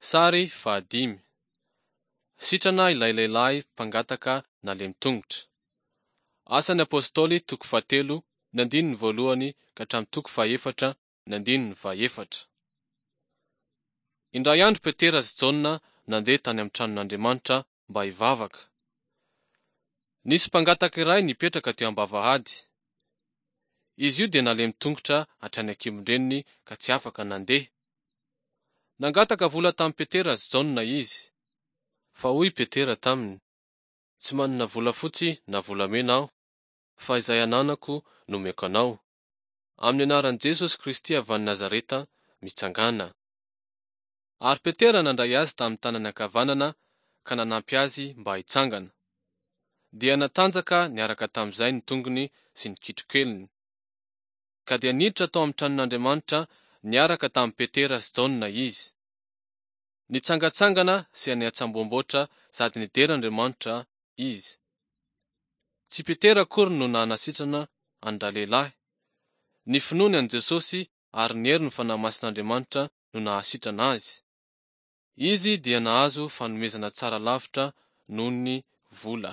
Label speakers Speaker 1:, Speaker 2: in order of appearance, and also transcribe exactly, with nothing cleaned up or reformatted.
Speaker 1: Sary fahadimy. Sitrana ilay lehilahy mpangataka nalemy tongotra. Asan'ny Apostoly toko fahatelo ny andininy voalohany ka hatramin'ny toko fahefatra ny andininy fahefatra. Indray andro Petera sy Jaona nandeha tany amin'ny tranon'Andriamanitra mba hivavaka. Nisy mpangataka iray nipetraka teo am-bavahady. Izy io dia nalemy tongotra hatrany an-kibon-dreniny ka tsy afaka nandeha. Nangataka vola tamin'i Petera sy Jaona izy. Fa hoy Petera taminy: Tsy manana volafotsy na volamena aho, fa izay ananako no omeko anao. Amin'ny anaran'i Jesosy Kristy avy any Nazareta, mitsangàna. Ary Petera nandray azy tamin'ny tanany ankavanana ka nanampy azy mba hitsangana. Dia natanjaka niaraka tamin'izay ny tongony sy ny kitrokeliny. Ka dia niditra tao amin'ny tranon'Andriamanitra niaraka tamin'i Petera sy Jaona izy. Nitsangantsangana sy niantsamboamboatra sady nidera Andriamanitra izy. Tsy Petera akory no nanasitrana an-dralehilahy. Ny finoany an'i Jesosy ary ny herin'ny Fanahy Masin'Andriamanitra no nahasitrana azy. Izy dia nahazo fanomezana tsara lavitra noho ny vola.